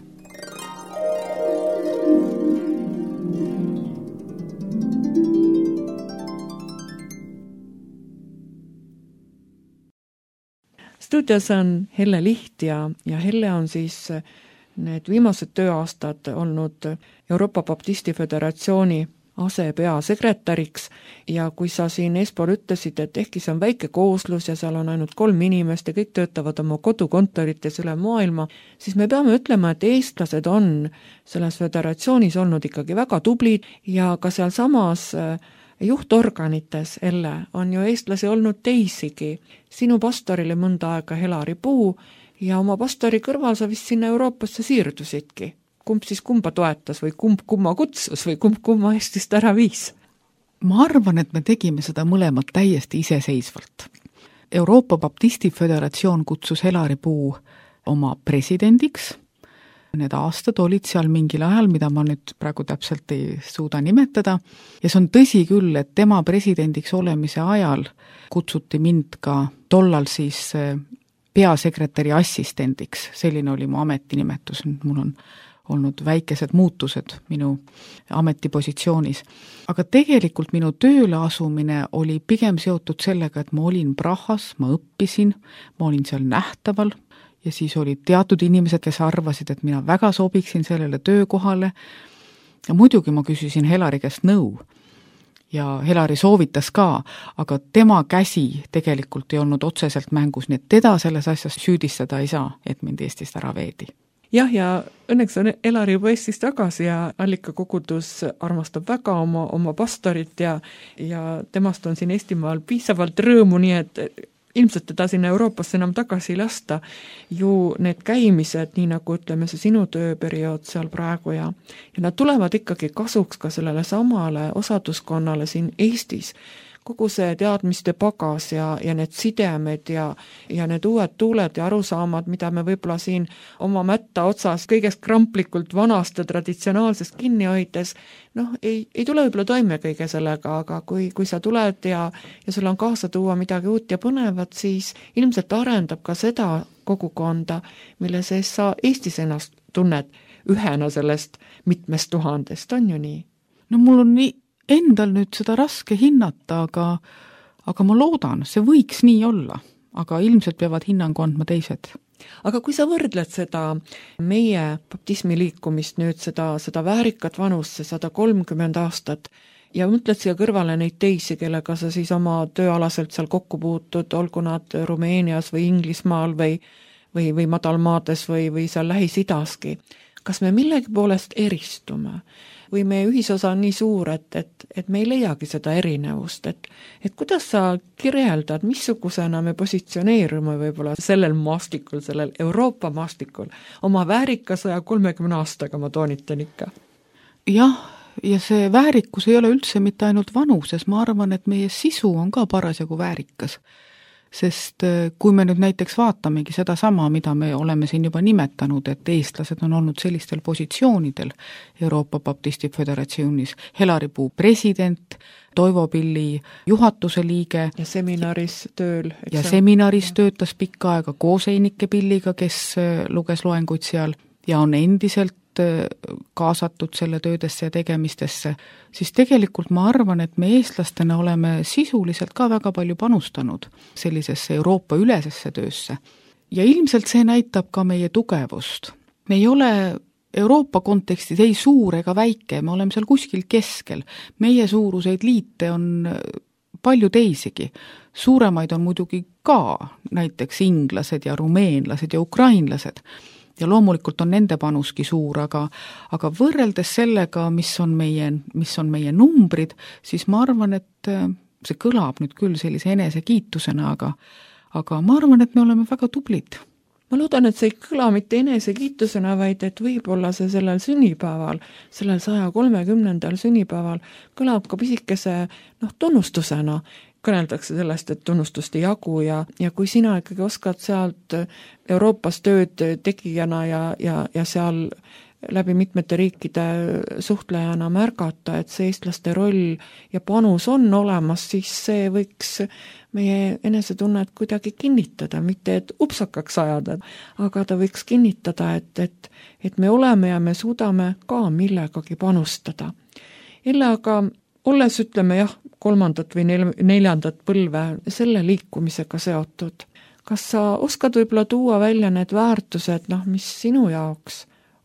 Stuudios on Helle Liht ja Helle on siis need viimased tööaastad olnud Euroopa Baptisti Föderatsiooni asepeasekretäriks ja kui sa siin eespool ütlesid, et ehkki see on väike kooslus ja seal on ainult 3 inimest ja kõik töötavad oma kodukontorites üle maailma, siis me peame ütlema, et eestlased on selles föderatsioonis olnud ikkagi väga tublid ja ka seal samas juhtorganites, Elle, on ju eestlasi olnud teisigi. Sinu pastorile mõnda aega Helari Puu ja oma pastori kõrval sa vist sinna Euroopasse siirdusidki. Kumb siis kumba toetas või kumb kumma kutsus või kumb kumma Eestist ära viis? Ma arvan, et me tegime seda mõlemat täiesti iseseisvalt. Euroopa Baptisti Föderatsioon kutsus Helari Puu oma presidendiks. Need aastad olid seal mingil ajal, mida ma nüüd praegu täpselt ei suuda nimetada. Ja see on tõsi küll, et tema presidendiks olemise ajal kutsuti mind ka tollal siis peasekretäri assistendiks. Selline oli mu ametinimetus. Mul on olnud väikesed muutused minu ametipositsioonis. Aga tegelikult minu tööle asumine oli pigem seotud sellega, et ma olin Prahas, ma õppisin, ma olin seal nähtaval, ja siis olid teatud inimesed, kes arvasid, et mina väga sobiksin sellele töökohale. Ja muidugi ma küsisin Helari käest nõu. Ja Helari soovitas ka, aga tema käsi tegelikult ei olnud otseselt mängus, nii et teda selles asjas süüdistada ei saa, et mind Eestist ära veedi. Jah, ja õnneks on Helari juba Eestis tagasi ja Allikakogudus armastab väga oma pastorit ja temast on siin Eestimaal piisavalt rõõmu, nii et ilmselt teda sinna Euroopasse enam tagasi ei lasta. Ju need käimised, nii nagu ütleme see sinu tööperiood seal praegu ja nad tulevad ikkagi kasuks ka sellele samale osaduskonnale siin Eestis. Kogu see teadmiste pagas ja need sidemed ja need uued tuuled ja arusaamad, mida me võib-olla siin oma mätta otsas kõigest kramplikult vanast ja traditsionaalsest kinni hoides, ei tule võib-olla toime kõige sellega, aga kui sa tuled ja sul on kaasa tuua midagi uut ja põnevat, siis ilmselt arendab ka seda kogukonda, mille sees sa Eestis ennast tunned ühena sellest mitmest tuhandest, on ju nii? No mul on endal nüüd seda raske hinnata, aga ma loodan, see võiks nii olla, aga ilmselt peavad hinnangu andma teised. Aga kui sa võrdled seda meie baptismi liikumist nüüd, seda väärikat vanust, see 130 aastat, ja mõtled siia kõrvale neid teisi, kellega sa siis oma tööalaselt seal kokku puutud, olgu nad Rumeenias või Inglismaal või madalmaades või seal Lähis-Idaski. kas me millegi poolest eristume või meie ühisosa on nii suur, et me ei leiagi seda erinevust, et kuidas sa kirjeldad, missugusena me positsioneerume võib-olla sellel maastikul, sellel Euroopa maastikul, oma väärika 130 aastaga, ma toonitan ikka? Jah, ja see väärikus ei ole üldse mitte ainult vanuses, ma arvan, et meie sisu on ka parasjagu väärikas. Sest kui me nüüd näiteks vaatamegi seda sama, mida me oleme siin juba nimetanud, et eestlased on olnud sellistel positsioonidel Euroopa Baptisti Föderatsioonis, Helari-Puu president, Toivo Pilli juhatuse liige ja seminaris tööl. Ja seminaris töötas pikka aega koos Einike Pilliga, kes luges loenguid seal ja on endiselt kaasatud selle töödesse ja tegemistesse, siis tegelikult ma arvan, et me eestlastena oleme sisuliselt ka väga palju panustanud sellisesse Euroopa ülesesse töösse. Ja ilmselt see näitab ka meie tugevust. Me ei ole Euroopa kontekstis ei suur ega väike, me oleme seal kuskil keskel. Meie suuruseid liite on palju teisigi. Suuremaid on muidugi ka näiteks inglased ja rumeenlased ja ukrainlased. Ja loomulikult on nende panuski suur, aga võrreldes sellega, mis on meie numbrid, siis ma arvan, et see kõlab nüüd küll sellise enesekiitusena, aga ma arvan, et me oleme väga tublid. Ma loodan, et see ei kõla mitte enesekiitusena, vaid et võib-olla see sellel sünnipäeval, sellel 130. sünnipäeval kõlab ka pisikese tunnustusena. Kõneldakse sellest, et tunnustust ei jagu ja kui sina ikkagi oskad sealt Euroopas tööd tegijana ja seal läbi mitmete riikide suhtlejana märgata, et see eestlaste roll ja panus on olemas, siis see võiks meie enesetunnet kuidagi kinnitada, mitte et upsakaks ajada, aga ta võiks kinnitada, et me oleme ja me suudame ka millegagi panustada. Jälle aga olles, ütleme jah, 3. või 4. põlve selle liikumisega seotud, kas sa oskad võib-olla tuua välja need väärtused, mis sinu jaoks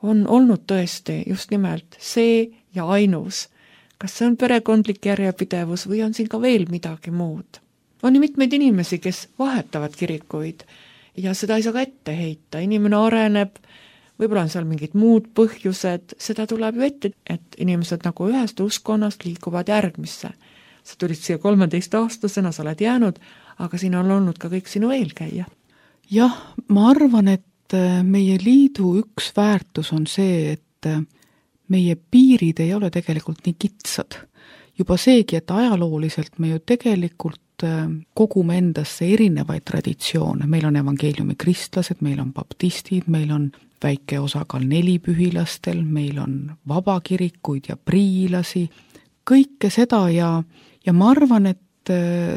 on olnud tõesti just nimelt see ja ainus? Kas see on perekondlik järjepidevus või on siin ka veel midagi muud? On ju mitmeid inimesi, kes vahetavad kirikuid ja seda ei saa ka ette heita. Inimene areneb, võib-olla on seal mingid muud põhjused, seda tuleb ju ette, et inimesed nagu ühest uskonnast liikuvad järgmisse. Sa tulid siia 13-aastasena, sa oled jäänud, aga siin on olnud ka kõik sinu eelkäija. Jah, ma arvan, et meie liidu üks väärtus on see, et meie piirid ei ole tegelikult nii kitsad. Juba seegi, et ajalooliselt me ju tegelikult kogume endasse erinevaid traditsioone. Meil on evangeeliumi kristlased, meil on baptistid, meil on väike osakaal nelipühilastel, meil on vabakirikuid ja priilasi, kõike seda ja ma arvan, et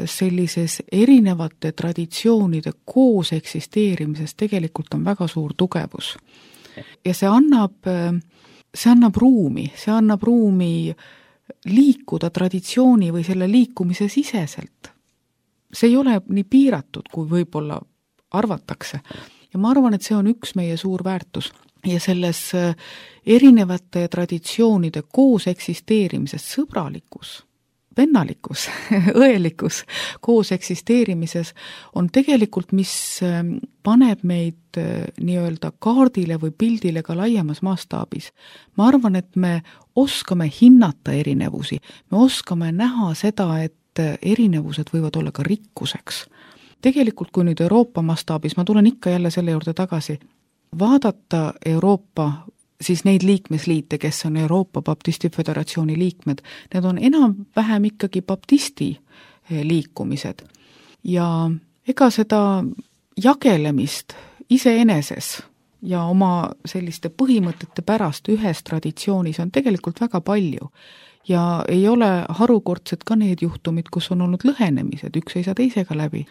sellises erinevate traditsioonide koos eksisteerimises tegelikult on väga suur tugevus. Ja see annab ruumi liikuda traditsiooni või selle liikumise siseselt. See ei ole nii piiratud, kui võib-olla arvatakse. Ja ma arvan, et see on üks meie suur väärtus. Ja selles erinevate traditsioonide koos eksisteerimises sõbralikkus, vennalikkus, õelikkus koos eksisteerimises on tegelikult, mis paneb meid nii-öelda kaardile või pildile ka laiemas mastaabis. Ma arvan, et me oskame hinnata erinevusi, me oskame näha seda, et erinevused võivad olla ka rikkuseks. Tegelikult, kui nüüd Euroopa mastaabis, ma tulen ikka jälle selle juurde tagasi, vaadata Euroopa, siis neid liikmesliite, kes on Euroopa Baptisti Föderatsiooni liikmed, need on enam-vähem ikkagi baptisti liikumised. Ja ega seda jagelemist iseeneses ja oma selliste põhimõtete pärast ühes traditsioonis on tegelikult väga palju. Ja ei ole harukordsed ka need juhtumid, kus on olnud lõhenemised, üks ei saa teisega läbi.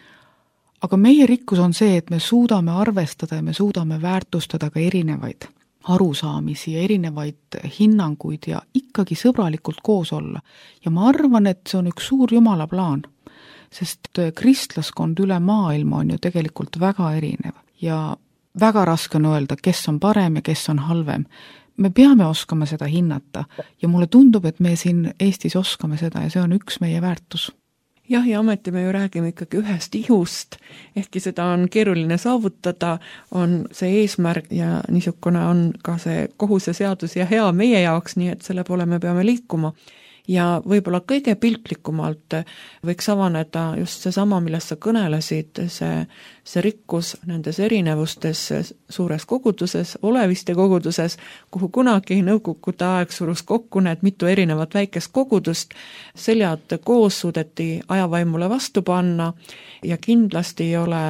Aga meie rikkus on see, et me suudame arvestada ja me suudame väärtustada ka erinevaid arusaamisi ja erinevaid hinnanguid ja ikkagi sõbralikult koos olla. Ja ma arvan, et see on üks suur Jumala plaan, sest kristlaskond üle maailma on ju tegelikult väga erinev ja väga raske on öelda, kes on parem ja kes on halvem. Me peame oskama seda hinnata ja mulle tundub, et me siin Eestis oskame seda ja see on üks meie väärtus. jah, ja ometi me ju räägime ikkagi ühest ihust, ehkki seda on keeruline saavutada, on see eesmärk ja niisugune on ka see kohus ja seadus ja hea meie jaoks, nii et selle poole me peame liikuma. Ja võib-olla kõige piltlikumalt võiks avaneda just seesama, millest sa kõnelesid, see rikkus nendes erinevustes suures koguduses, oleviste koguduses, kuhu kunagi nõukogude aeg surus kokku need mitu erinevat väikest kogudust, seljad koos suudeti ajavaimule vastu panna ja kindlasti ei ole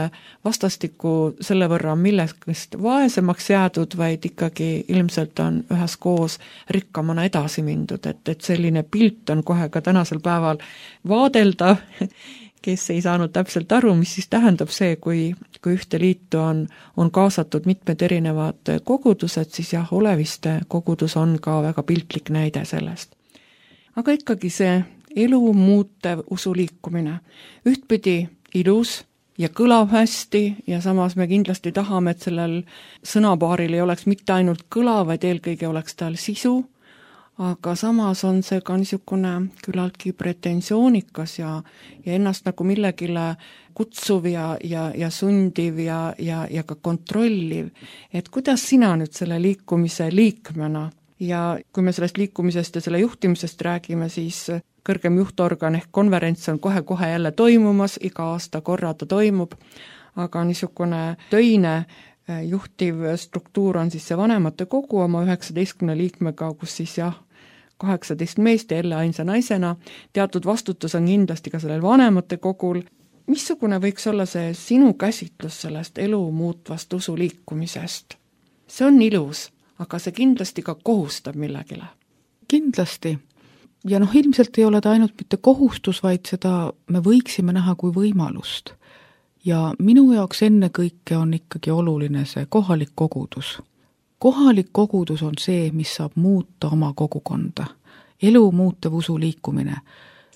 vastastikku selle võrra millest vaesemaks jäädud, vaid ikkagi ilmselt on üheskoos rikkamana edasi mindud, et selline pilt on kohe ka tänasel päeval vaadeldav, kes ei saanud täpselt aru, mis siis tähendab see, kui ühte liitu on kaasatud mitmed erinevad kogudused, siis jah, oleviste kogudus on ka väga piltlik näide sellest. Aga ikkagi see elu muutev usuliikumine, ühtpidi ilus ja kõlab hästi ja samas me kindlasti tahame, et sellel sõnapaaril ei oleks mitte ainult kõla, vaid eelkõige oleks tal sisu, aga samas on see ka niisugune küllaltki pretensioonikas ja ennast nagu millegile kutsuv ja sundiv ja ka kontrolliv. Et kuidas sina nüüd selle liikumise liikmena ja kui me sellest liikumisest ja selle juhtimisest räägime, siis kõrgem juhtorgan ehk konverents on kohe-kohe jälle toimumas, iga aasta korra ta toimub, aga niisugune töine juhtiv struktuur on siis see vanemate kogu oma 19 liikmega, kus siis jah, 18 meest ja jälle ainsa naisena, teatud vastutus on kindlasti ka sellel vanemate kogul. Missugune võiks olla see sinu käsitlus sellest elu muutvast usuliikumisest? See on ilus, aga see kindlasti ka kohustab millegile. Kindlasti. Ja ilmselt ei ole ta ainult mitte kohustus, vaid seda me võiksime näha kui võimalust. Ja minu jaoks enne kõike on ikkagi oluline see kohalik kogudus. Kohalik kogudus on see, mis saab muuta oma kogukonda. Elu muutev usuliikumine.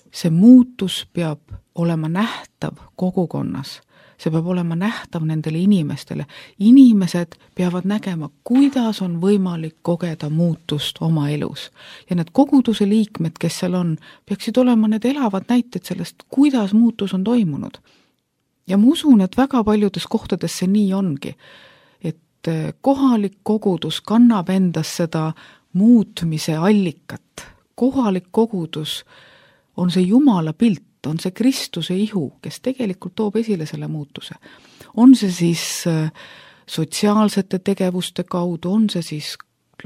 See muutus peab olema nähtav kogukonnas. See peab olema nähtav nendele inimestele. Inimesed peavad nägema, kuidas on võimalik kogeda muutust oma elus. Ja need koguduse liikmed, kes seal on, peaksid olema need elavad näited sellest, kuidas muutus on toimunud. Ja ma usun, et väga paljudes kohtades see nii ongi. Kohalik kogudus kannab endas seda muutmise allikat. Kohalik kogudus on see Jumala pilt, on see Kristuse ihu, kes tegelikult toob esile selle muutuse. On see siis sotsiaalsete tegevuste kaudu, on see siis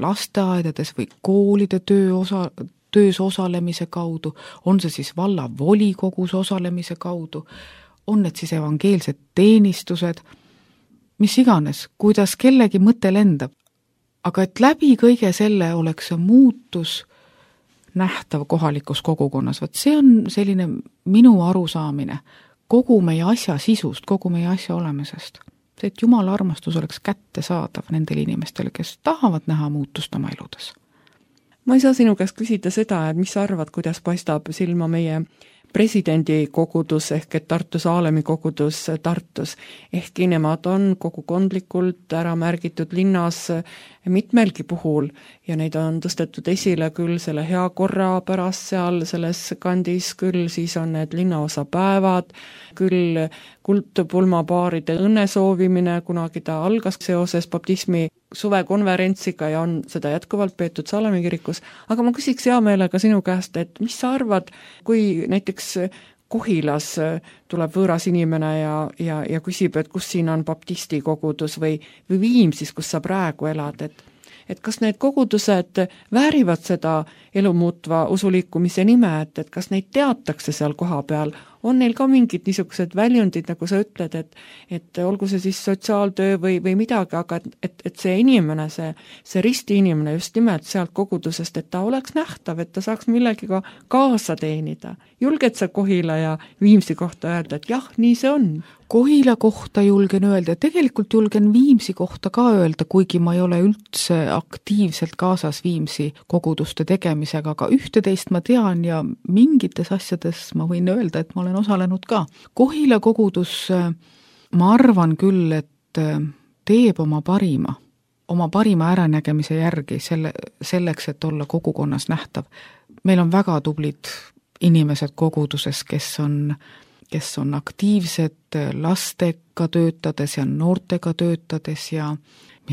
lasteaedades või koolide töös osalemise kaudu, on see siis valla volikogus osalemise kaudu, on need siis evangeelsed teenistused, mis iganes, kuidas kellegi mõte lendab. Aga et läbi kõige selle oleks see muutus nähtav kohalikus kogukonnas. See on selline minu arusaamine kogu meie asja sisust, kogu meie asja olemisest. See, et Jumala armastus oleks kättesaadav nendele inimestele, kes tahavad näha muutust oma eludes. Ma ei saa sinu käest küsida seda, et mis sa arvad, kuidas paistab silma meie presidendi kogudus ehk et Tartu Saalemi kogudus Tartus. Ehkki nemad on kogukondlikult ära märgitud linnas mitmelgi puhul ja neid on tõstetud esile küll selle hea korra pärast seal selles kandis, küll siis on need linnaosapäevad, küll kuldpulmapaaride õnnesoovimine, kunagi ta algas seoses baptismi suvekonverentsiga ja on seda jätkuvalt peetud Saalemi kirikus, aga ma küsiks hea meelega sinu käest, et mis sa arvad, kui näiteks Kohilas tuleb võõras inimene ja küsib, et kus siin on baptisti kogudus või Viimsis, kus sa praegu elad, et kas need kogudused väärivad seda elumuutva usuliikumise nime, et kas neid teatakse seal koha peal, on neil ka mingid niisugused väljundid, nagu sa ütled, et olgu see siis sotsiaaltöö või midagi, aga et see inimene, see risti inimene just nimelt sealt kogudusest, et ta oleks nähtav, et ta saaks millegiga kaasa teenida. Julged sa Kohila ja Viimsi kohta öelda, et jah, nii see on? Kohila kohta julgen öelda, tegelikult julgen Viimsi kohta ka öelda, kuigi ma ei ole üldse aktiivselt kaasas Viimsi koguduste tegemisega, aga ühte-teist ma tean ja mingites asjades ma võin öelda, et ma olen osalenud ka. Kohila kogudus, ma arvan küll, et teeb oma parima äranägemise järgi selleks, et olla kogukonnas nähtav. Meil on väga tublid inimesed koguduses, kes on aktiivsed lastega töötades ja noortega töötades ja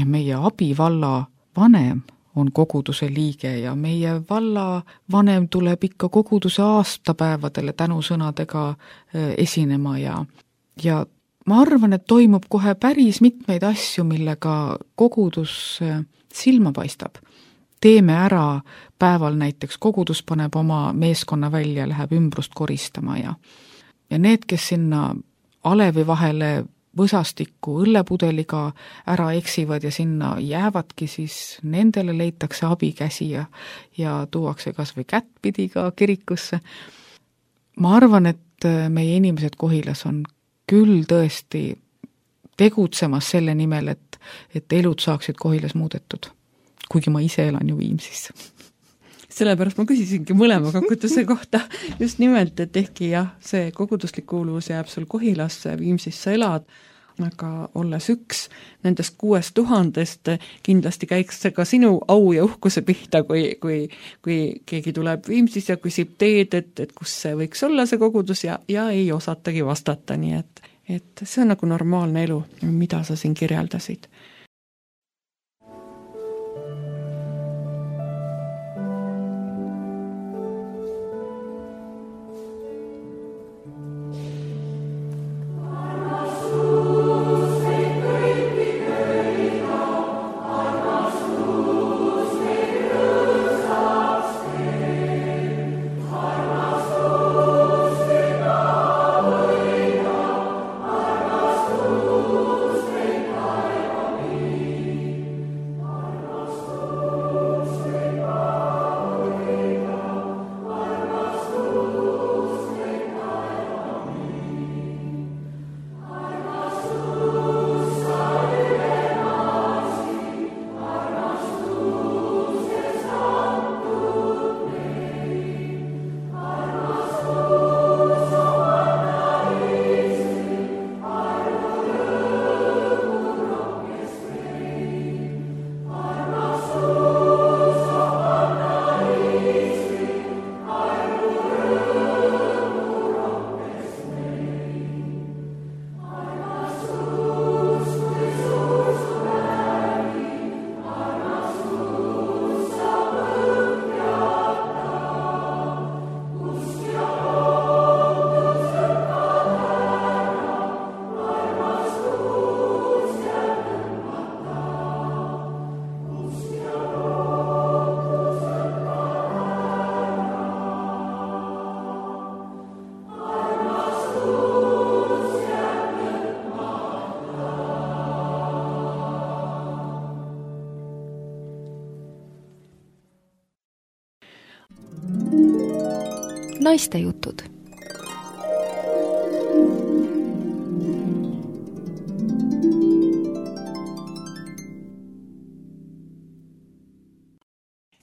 meie abivalla vanem on koguduse liige ja meie valla vanem tuleb ikka koguduse aastapäevadele tänusõnadega esinema ja ma arvan, et toimub kohe päris mitmeid asju, millega kogudus silma paistab. Teeme ära päeval näiteks, kogudus paneb oma meeskonna välja, läheb ümbrust koristama ja need, kes sinna alevi vahele võsastikku õllepudeliga ära eksivad ja sinna jäävadki, siis nendele leitakse abikäsi ja tuuakse kas või kättpidi ka kirikusse. Ma arvan, et meie inimesed Kohilas on küll tõesti tegutsemas selle nimel, et elud saaksid Kohilas muudetud, kuigi ma ise elan ju Viimsis. Sellepärast ma küsisingi mõlema koguduse kohta just nimelt, et ehkki jah, see koguduslik kuuluvus jääb sul Kohilasse, Viimsis sa elad, aga olles üks nendest 6000 kindlasti käiks see ka sinu au ja uhkuse pihta, kui keegi tuleb Viimsis ja küsib teed, et kus see võiks olla see kogudus ja ei osatagi vastata, nii et see on nagu normaalne elu, mida sa siin kirjeldasid. Naistejutud.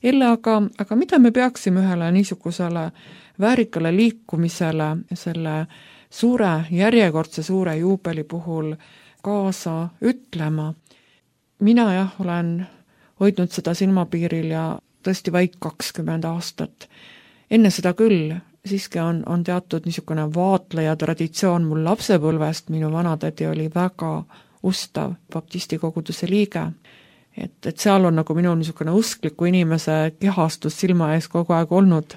Elle, aga mida me peaksime ühele niisugusele väärikale liikumisele selle järjekordse suure juubeli puhul kaasa ütlema? Mina olen hoidnud seda silmapiiril ja tõesti vaid 20 aastat. Enne seda küll, siiski on teatud niisugune vaatleja traditsioon mul lapsepõlvest, minu vanatädi oli väga ustav baptisti koguduse liige, et seal on nagu minu niisugune uskliku inimese kehastus silma ees kogu aeg olnud,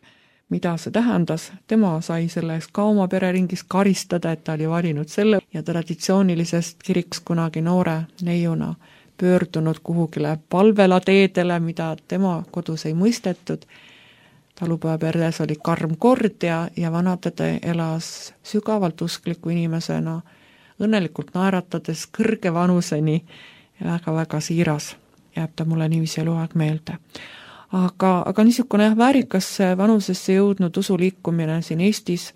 mida see tähendas. Tema sai selle eest ka oma pereringis karistada, et ta oli valinud selle ja traditsioonilisest kiriks kunagi noore neiuna pöördunud kuhugile palvelateedele, mida tema kodus ei mõistetud. Talupojaperres oli karm kord ja vanatäde elas sügavalt uskliku inimesena, õnnelikult naeratades kõrge vanuseni ja väga-väga siiras, jääb ta mulle niiviisi eluaeg meelde. Aga niisugune väärikas vanusesse jõudnud usuliikumine siin Eestis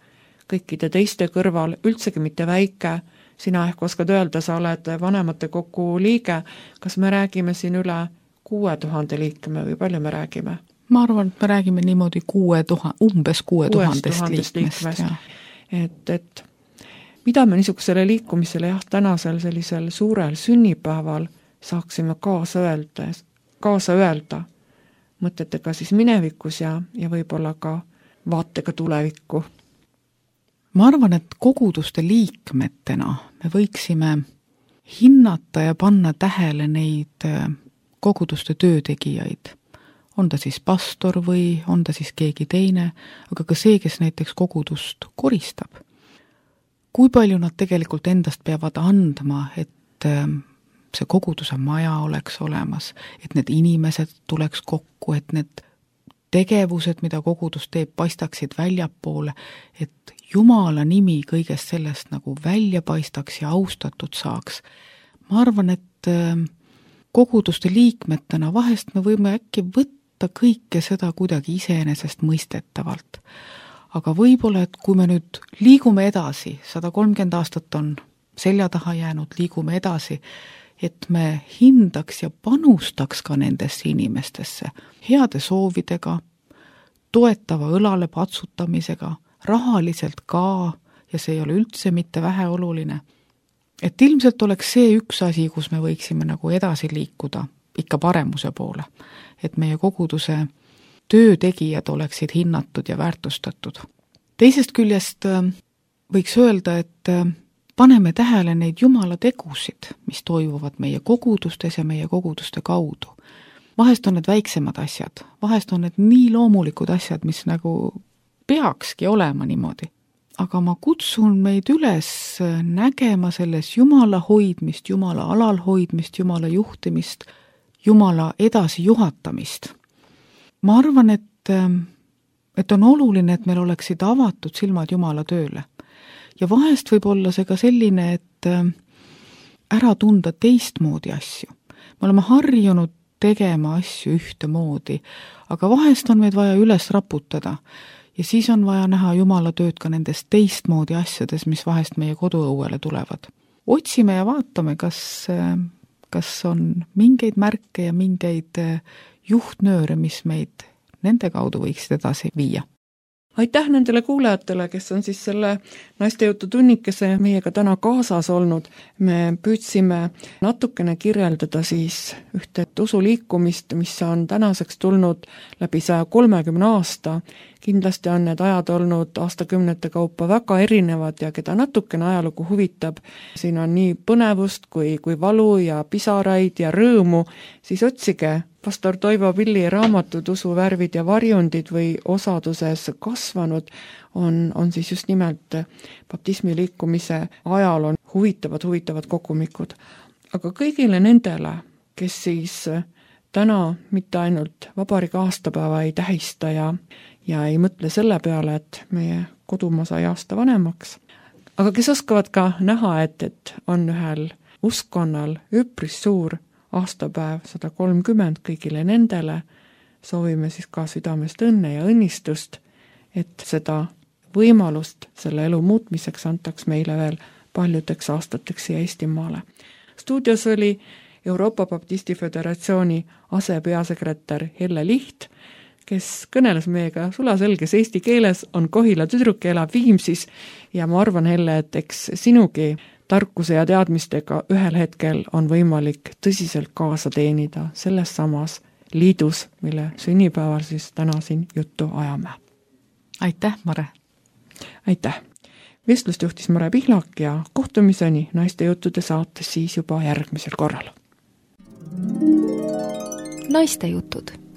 kõikide teiste kõrval, üldsegi mitte väike, sina ehk oskad öelda, sa oled vanematekogu liige, kas me räägime siin üle 6000 liikme või palju me räägime? Ma arvan, et me räägime niimoodi umbes 6000 liikmest. Et mida me niisugusele liikumisele tänasel sellisel suurel sünnipäeval saaksime kaasa öelda mõtetega siis minevikus ja võib-olla ka vaatega tulevikku? Ma arvan, et koguduste liikmetena me võiksime hinnata ja panna tähele neid koguduste töötegijaid. On ta siis pastor või on ta siis keegi teine, aga ka see, kes näiteks kogudust koristab. Kui palju nad tegelikult endast peavad andma, et see koguduse maja oleks olemas, et need inimesed tuleks kokku, et need tegevused, mida kogudus teeb, paistaksid väljapoole, et Jumala nimi kõigest sellest nagu välja paistaks ja austatud saaks. Ma arvan, et koguduste liikmetena vahest me võime äkki võtta kõike seda kuidagi iseenesest mõistetavalt. Aga võib-olla, et kui me nüüd liigume edasi, 130 aastat on selja taha jäänud, liigume edasi, et me hindaks ja panustaks ka nendesse inimestesse heade soovidega, toetava õlale patsutamisega, rahaliselt ka, ja see ei ole üldse mitte väheoluline. Et ilmselt oleks see üks asi, kus me võiksime nagu edasi liikuda ikka paremuse poole, et meie koguduse töötegijad oleksid hinnatud ja väärtustatud. Teisest küljest võiks öelda, et paneme tähele neid Jumala tegusid, mis toimuvad meie kogudustes ja meie koguduste kaudu. Vahest on need väiksemad asjad, vahest on need nii loomulikud asjad, mis nagu peakski olema niimoodi. Aga ma kutsun meid üles nägema selles Jumala hoidmist, Jumala alal hoidmist, Jumala juhtimist, Jumala edasi juhatamist. Ma arvan, et on oluline, et meil oleksid avatud silmad Jumala tööle. Ja vahest võib olla see ka selline, et ära tunda teistmoodi asju. Me oleme harjunud tegema asju ühtemoodi, aga vahest on meid vaja üles raputada ja siis on vaja näha Jumala tööd ka nendes teistmoodi asjades, mis vahest meie koduõuele tulevad. Otsime ja vaatame, kas on mingeid märke ja mingeid juhtnööre, mis meid nende kaudu võiksid edasi viia. Aitäh nendele kuulajatele, kes on siis selle naistejutu tunnikese meiega täna kaasas olnud. Me püüdsime natukene kirjeldada siis ühte usuliikumist, mis on tänaseks tulnud läbi 130 aasta. Kindlasti on need ajad olnud aastakümnete kaupa väga erinevad ja keda natukene ajalugu huvitab. Siin on nii põnevust kui valu ja pisaraid ja rõõmu, siis otsige pastor Toivo Pilli raamatud Usuvärvid ja varjundid või osaduses kasvanud on siis just nimelt baptismi liikumise ajal on huvitavad kogumikud. Aga kõigile nendele, kes siis täna mitte ainult vabariigi aastapäeva ei tähista ja ei mõtle selle peale, et meie kodumaa sai aasta vanemaks, aga kes oskavad ka näha, et on ühel uskonnal üpris suur aastapäev 130 kõigile nendele, soovime siis ka südamest õnne ja õnnistust, et seda võimalust selle elu muutmiseks antaks meile veel paljudeks aastateks siia Eestimaale. Stuudios oli Euroopa Baptisti Föderatsiooni asepeasekretär Helle Liht, kes kõneles meiega sulaselges eesti keeles, on Kohila tüdruk ja elab Viimsis ja ma arvan, Helle, et eks sinugi tarkuse ja teadmistega ühel hetkel on võimalik tõsiselt kaasa teenida selles samas liidus, mille sünnipäeval siis täna siin juttu ajame. Aitäh, Mare! Aitäh! Vestlust juhtis Mare Pihlak ja kohtumiseni naistejuttude saates siis juba järgmisel korral. Naistejutud